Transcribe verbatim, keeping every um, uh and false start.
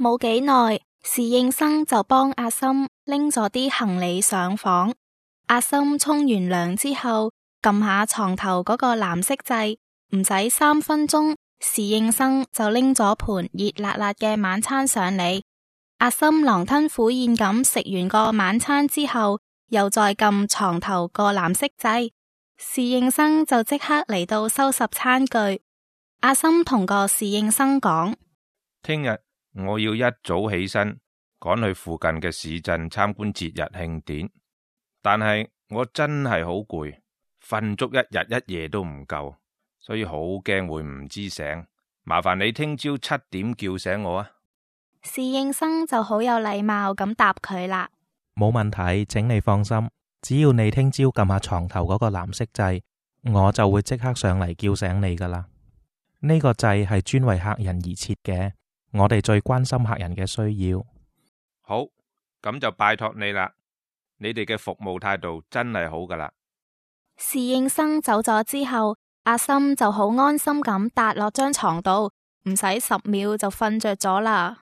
冇幾耐，侍應生就幫阿森拎咗啲行李上房。阿森沖完涼之後，撳下床頭嗰個藍色掣，唔使三分鐘，侍應生就拎咗盤熱辣辣嘅晚餐上嚟。阿森狼吞虎咽咁食完個晚餐之後，又再撳床頭個藍色掣，侍應生就即刻嚟到收拾餐具。阿森同個侍應生講：聽日我要一早起身，趕去附近嘅市鎮參觀節日慶典，但係我真係好攰，瞓足一日一夜都唔夠，所以好驚會唔知醒，麻煩你聽朝七點叫醒我啊！侍應生就好有禮貌咁答佢啦。冇問題，請你放心，只要你聽朝撳下床頭嗰個藍色掣，我就會即刻上嚟叫醒你噶啦。呢個掣係專為客人而設嘅，我哋最關心客人嘅需要。好，咁就拜託你啦，你哋嘅服務態度真係好噶啦。侍應生走咗之後，阿森就好安心咁搭落張床度，唔使十秒就瞓着咗啦。